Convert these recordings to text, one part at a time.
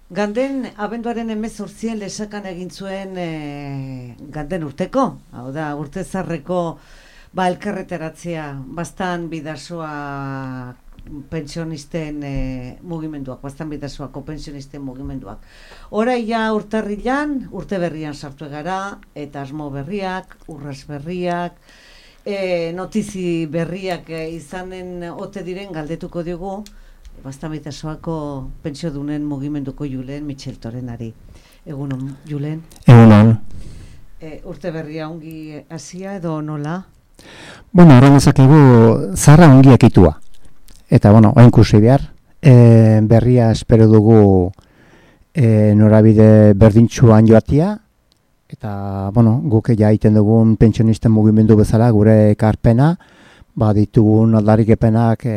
Ganden, abenduaren 18 lesakan egin zuen ganden urteko, hau da, urte zarreko elkarreteratzea, bastan bidasoa pensionisten mugimenduak, bastan bidasoako pensionisten mugimenduak. Horai ja urtarrilan, urte berrian sartu gara, eta asmo berriak, urras berriak, notizi berriak izanen ote diren galdetuko diogu, bastan bidasoako pentsiodunen mugimenduko Julen Mitxeltorenari. Egunon, Julen? Egunon. Urte berria ongi hasia edo nola? Bueno, horren ezakegu zarra ongi ekitua. Eta, bueno, hain kursi behar. Berria espero dugu norabide berdintxuan joatia. Eta, bueno, guk ja egiten dugun pentsionisten mugimendu bezala gure ekarpena, ditugun aldarrikepenak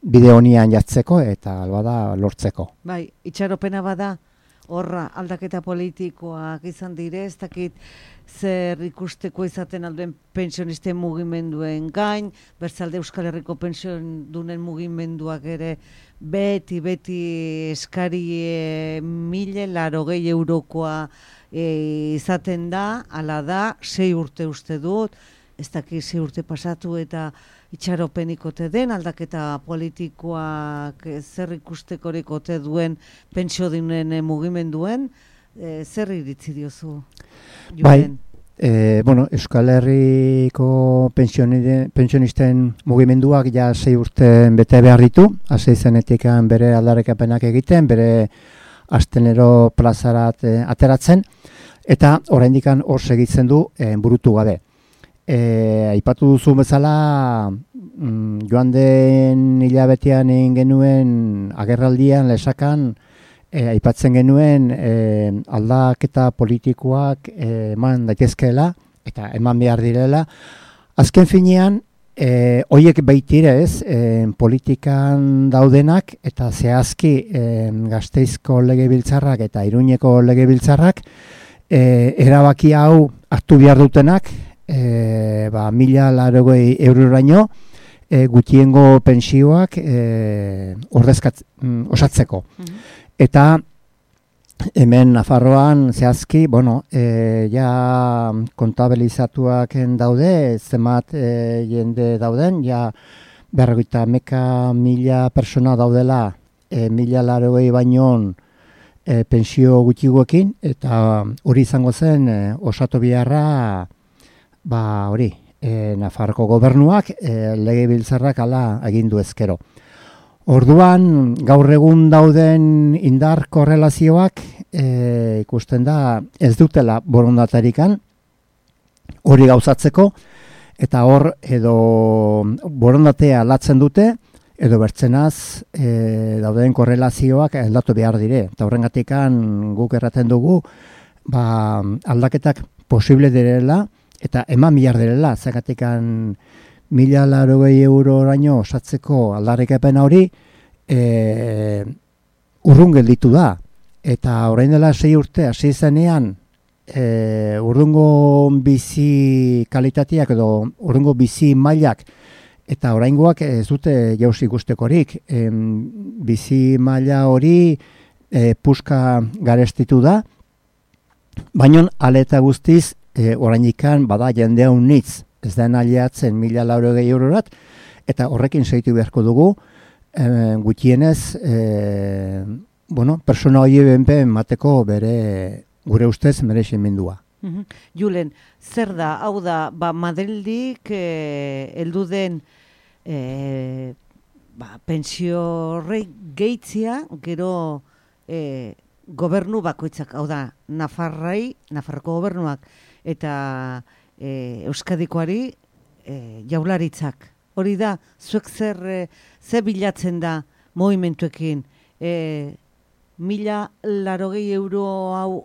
bide honian jatzeko eta albada lortzeko. Bai, itxaropena bada, horra aldaketa politikoak izan dire, ez dakit zer ikusteko izaten alduen pensionisten mugimenduen gain, Bertzalde Euskal Herriko pensiodunen mugimenduak ere beti eskari 1.080 eurokoa izaten da, ala da, 6 urte uste dut, ez dakit 6 urte pasatu eta itxaropenik ote den, aldaketa politikoak zer ikustekorik ote duen pentsiodunen mugimenduen, zer iritzi diozu? Bai, Euskal Herriko pensionisten mugimenduak ja 6 urte bete behar ditu, hasi zenetik bere aldarrikapenak egiten, bere astenero plazarat ateratzen, eta oraindik hor segitzen du burutu gabe. Aipatu duzu bezala, joan den hilabetean egin genuen agerraldian lesakan, aipatzen genuen aldaketa politikoak eman daitezkeela eta eman behar direla. Azken finean, horiek baitire ez, politikan daudenak eta zehazki Gasteizko legebiltzarrak eta Iruñeko legebiltzarrak erabaki hau hartu behar dutenak, 1.080 euroraino gutiengo pensioak osatzeko. Eta hemen Nafarroan zehazki, ja kontabilizatuak daude, zenbat jende dauden, ja 50.000 persona daudela 1.080 baino pensio gutxigoekin, eta hori izango zen osatu beharra Nafarroko gobernuak legebiltzarrak hala agindu ezkero. Orduan, gaur egun dauden indar korrelazioak ikusten da ez dutela borondatarikan hori gauzatzeko, eta hor edo borondatea aldatzen dute, edo bertzenaz dauden korrelazioak aldatu behar dire. Eta horrengatikan guk erraten dugu aldaketak posible direla, eta eman behar direla, zergatikan 1.080 euroraino osatzeko aldarrikapen hori urrun gelditu da. Eta orain dela 6 urte hasi zenean urrungo bizi kalitateak edo urrungo bizi mailak eta oraingoak ez dute jauzi ikustekorik. Bizi maila hori puska garestitu da, baina aleta guztiz orainikan bada jendea unitz, ez da aliatzen 1.080 eurorat, eta horrekin segitu beharko dugu, gutienez, persona hori benpen mateko bere gure ustez mereximendua. Julen, zer da, hau da, Madrildik heldu den pentsio horrei gehitzia, gero gobernu bakoitzak, hau da, Nafarroko gobernuak, eta Euskadikoari jaularitzak. Hori da, zuek zer bilatzen da movimentuekin? 1.080 euro hau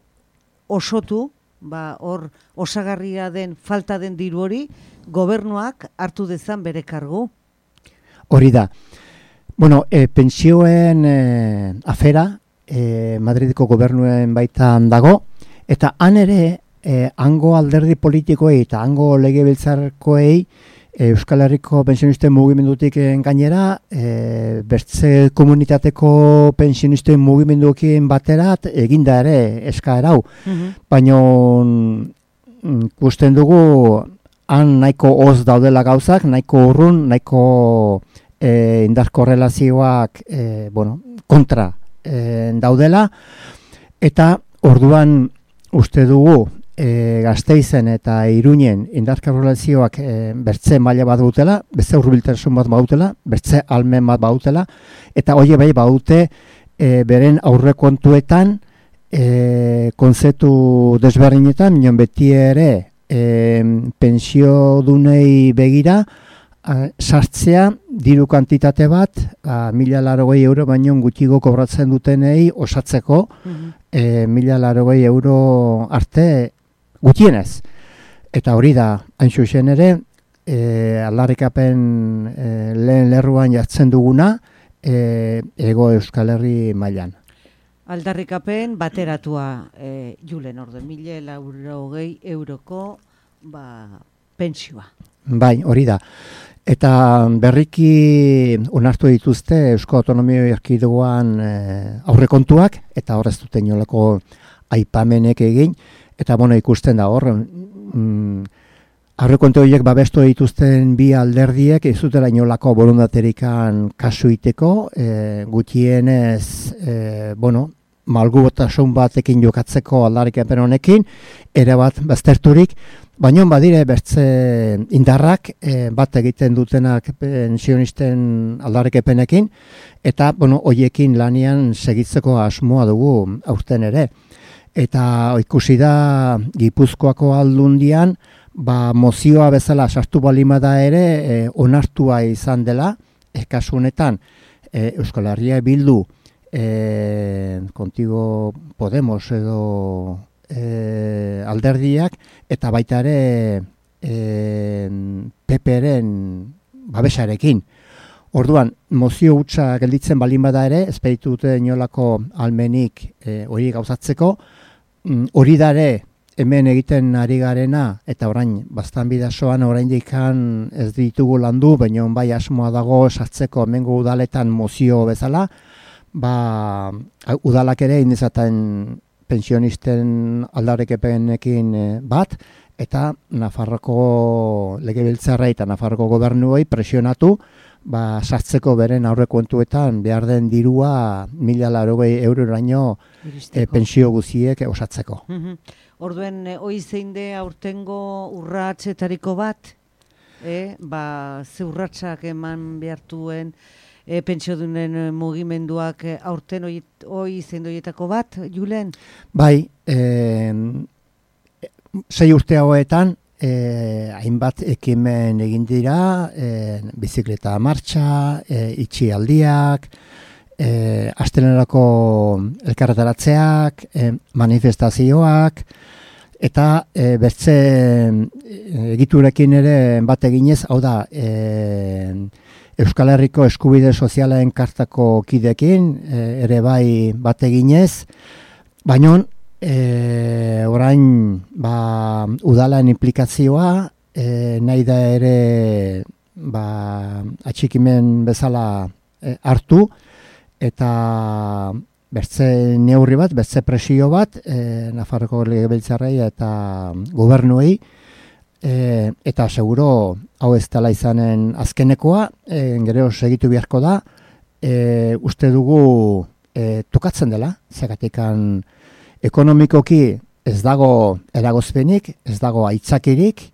osotu, hor osagarria den, falta den diru hori, gobernuak hartu dezan bere kargu? Hori da. Pentsioen afera Madrideko gobernuen baitan dago, eta han ere hango alderdi politikoei eta hango legebiltzarkoei Euskal Herriko pensionisten mugimendutik gainera, bertze komunitateko pensionisten mugimenduekin baterat eginda ere eskaera hau. Baina ikusten dugu han nahiko hoz daudela gauzak, nahiko urrun, nahiko indar korrelazioak kontra daudela, eta orduan uste dugu Gasteizen eta Iruñen indar korrelazioak bertze maila bat bautela, bertze hurbiltasun bat bautela, bertze almen bat bautela, eta hori bai baute beren aurrekontuetan kontzeptu desberdinetan, minon beti ere pensiodunei begira sartzea diru kantitate bat 1.080 euro baino gutxigo kobratzen dutenei osatzeko 1.080 euro arte gutxienez. Eta hori da, hain zuzen ere, aldarrikapen lehen lerruan jartzen duguna Hego Euskal Herri mailan. Aldarrikapen bateratua Julen orde 1.080 euroko pentsioa. Bai, hori da. Eta berriki onartu dituzte Eusko Autonomia Erkidegoan aurrekontuak, eta hor ez duten inolako aipamenek egin, eta ikusten da hor, aurrekontu horiek babestu dituzten bi alderdiek ez dutela inolako borondaterikan kasu iteko, gutienez, malgubotasun batekin jokatzeko aldarrikapen honekin, ere bat bazterturik, baina badire bertze indarrak bat egiten dutenak pensionisten aldarrikapenekin, eta hoiekin lanian segitzeko asmoa dugu aurten ere. Eta ikusi da Gipuzkoako Aldundian, mozioa bezala sartu balimada ere onartua izan dela, kasu honetan Euskal Herria Bildu, Contigo Podemos edo alderdiak, eta baita ere PP-ren babesarekin. Orduan, mozio hutsa gelditzen balin bada ere, ez dute inolako almenik hori gauzatzeko, hori da ere hemen egiten ari garena, eta orain bastan bidasoan oraindik ez ditugu landu, baina bai asmoa dago sartzeko hemengo udaletan mozio bezala, udalak ere indizaten pensionisten aldarrikapenekin bat, eta Nafarroko legebiltzarra eta Nafarroko gobernuei presionatu, sartzeko beren aurrekontuetan behar den dirua 1.080 euroraino pensio guziek osatzeko. Orduen, hoi zein de aurtengo urratsetariko bat, ze urratsak eman behartuen pentsiodunen mugimenduak aurten hoi zein doietako bat, Julen? Bai, 6 urte hauetan, hainbat ekimen egin dira, bizikleta martxa, itxialdiak, astelenerako elkarretaratzeak, manifestazioak, eta bertze egiturekin ere bat eginez, hau da, Euskal Herriko eskubide sozialen kartako kidekin, ere bai bat eginez, baina orain udalen implikazioa nahi da ere atxikimen bezala hartu, eta bertze neurri bat, bertze presio bat Nafarroko legebiltzarrei eta gobernuei, eta seguro hau ez dela izanen azkenekoa, gero segitu beharko da, uste dugu tokatzen dela, zergatikan ekonomikoki ez dago eragozpenik, ez dago aitzakirik,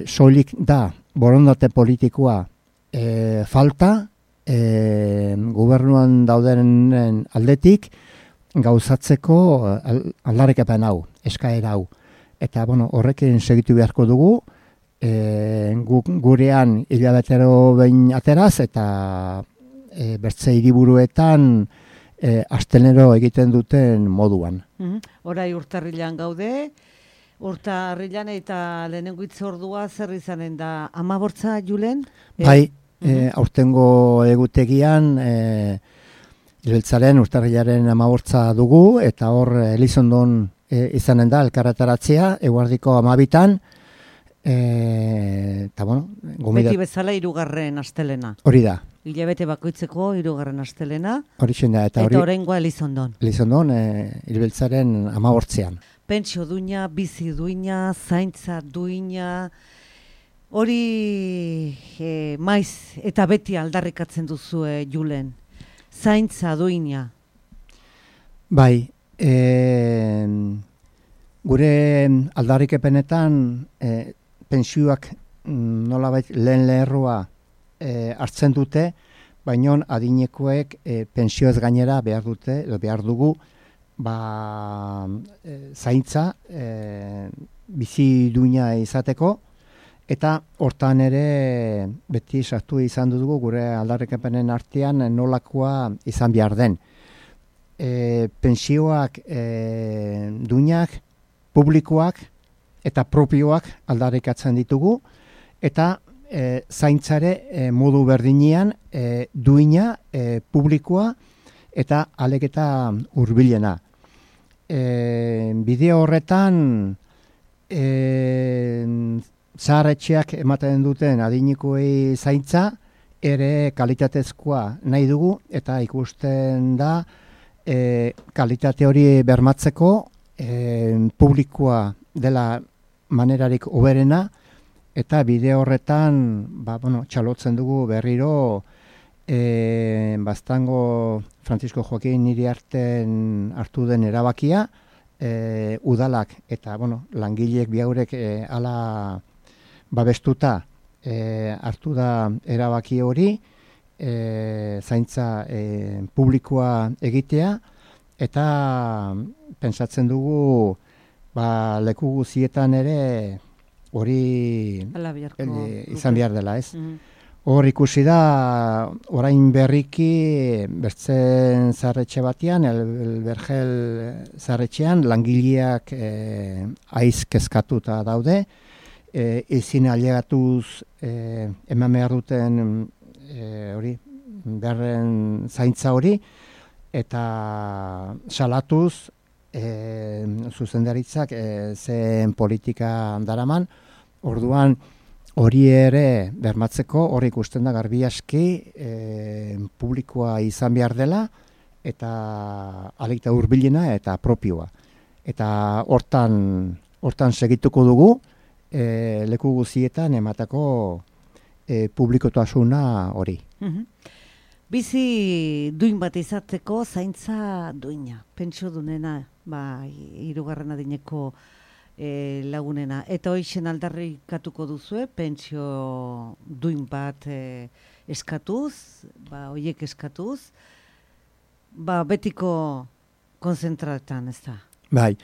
soilik da borondate politikoa falta, gobernuan daudenen aldetik gauzatzeko aldarrikapen hau, eskaera hau. Eta horrekin segitu beharko dugu, gurean hilabetero behin ateraz, eta bertze hiriburuetan astenero egiten duten moduan. Horai urtarrilan gaude, urtarrilan eta lehenengo itzordua zer izanen da 15, Julen? Bai, aurtengo egutegian legebiltzarraren urtarrilaren 15 dugu, eta hor Elizondon izanen da elkarretaratzea, eguerdiko 12, Eta, bueno, Beti bezala 3. astelena. Hori da. Hilabete bakoitzeko 3. astelena. Hori da. Eta oraingoa Elizondon. Elizondon, Hilbeltzaren 18an. Pentsio duina, bizi duina, zaintza duina, hori maiz eta beti aldarrikatzen duzue Julen. Zaintza duina. Bai, gure aldarrikepenetan pentsioak nolabait lehen lerroa hartzen dute, baina adinekoek pentsioez gainera behar dute, edo behar dugu, zaintza bizi duina izateko, eta hortan ere beti sartu izan dugu gure aldarrikapenen artean nolakoa izan behar den. Pentsioak duinak, publikoak eta propioak aldarrikatzen ditugu, eta zaintzare modu berdinean duina, publikoa eta aleketa hurbilena. Bideo horretan zaharretxeak ematen duten adinikoei zaintza ere kalitatezkoa nahi dugu, eta ikusten da kalitate hori bermatzeko publikoa dela manerarik hoberena, eta bideo horretan txalotzen dugu berriro Baztango Francisco Joaquin Iriarten hartu den erabakia, udalak eta langileek bihaurek ala babestuta hartu da erabaki hori, zaintza publikoa egitea, eta pentsatzen dugu leku guzietan ere hori izan behar dela, ez? Hor ikusi da, orain berriki bertzen zarretxe batean, el Bergel zarretxean, langileak aiz kezkatuta daude, ezin ailegatuz eman behar duten hori, beharren zaintza hori, eta salatuz zuzendaritzak zen politika daraman, orduan hori ere bermatzeko, hori ikusten da garbi aski publikoa izan behar dela, eta alikta hurbilena eta propioa. Eta hortan segituko dugu, leku guzietan ematako publikotasuna hori. Bizi duin bat izateko zaintza duina, pentsio dunena, 3. adineko lagunena. Eta hoixen aldarrikatuko duzue, pentsio duin bat eskatuz, hoiek eskatuz, betiko konzentratan, ez da? Bai,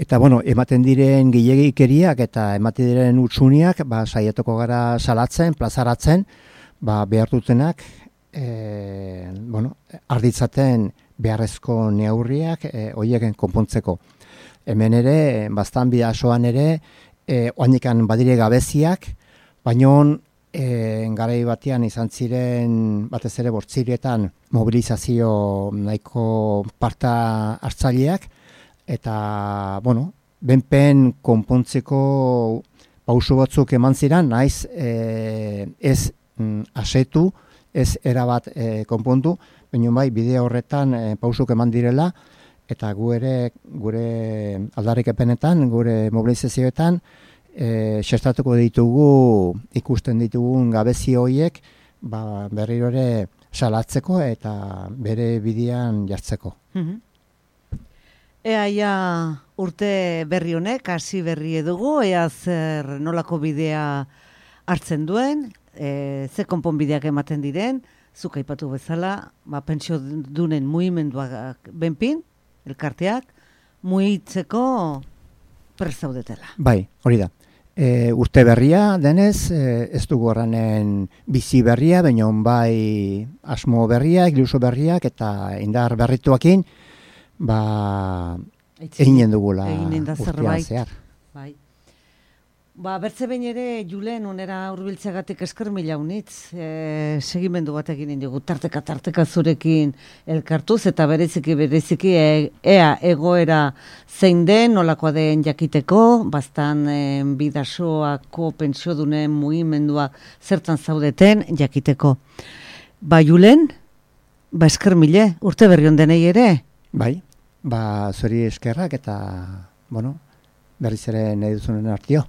eta ematen diren gehiagikeriak eta ematen diren utsuniak, saiatuko gara salatzen, plazaratzen, behar dutenak, arditzaten beharrezko neurriak horiek konpontzeko. Hemen ere, bastan bidasoan ere, oanikan badire gabeziak, baina garai batean izan ziren batez ere bortzirietan mobilizazio nahiko parta hartzaileak, eta, benpen konpontzeko pauso batzuk eman ziren, naiz ez asetu, ez erabat konpontu, baina bai bideo horretan pausuk eman direla, eta gure aldarrikepenetan, gure mobilizazioetan, xertatuko ditugu, ikusten ditugun gabezi horiek, berriro ere salatzeko eta bere bidean jartzeko. Ea urte berri honek, hasi berri edugu, ea zer nolako bidea hartzen duen, ze konponbideak ematen diren, zuk aipatu bezala, pentsio dunen mugimenduak benpin, elkarteak, mugitzeko prest zaudetela. Bai, hori da. Urte berria denez, ez dugu horrenen bizi berria, baina bai asmo berriak, iluso berriak eta indar berrituakin, eginen dugula urtean zehar. Bai. Bertze behin ere, Julen, unera hurbiltzeagatik esker mila unitz, segimendu bat egin dugu, tarteka zurekin elkartuz, eta bereziki ea egoera zein den, nolakoa den jakiteko, bastan bidasoako pentsiodunen mugimendua zertan zaudeten jakiteko. Julen, esker mile, urte berri on denei ere? Bai, zuri eskerrak eta, berriz ere nahi duzunen artio.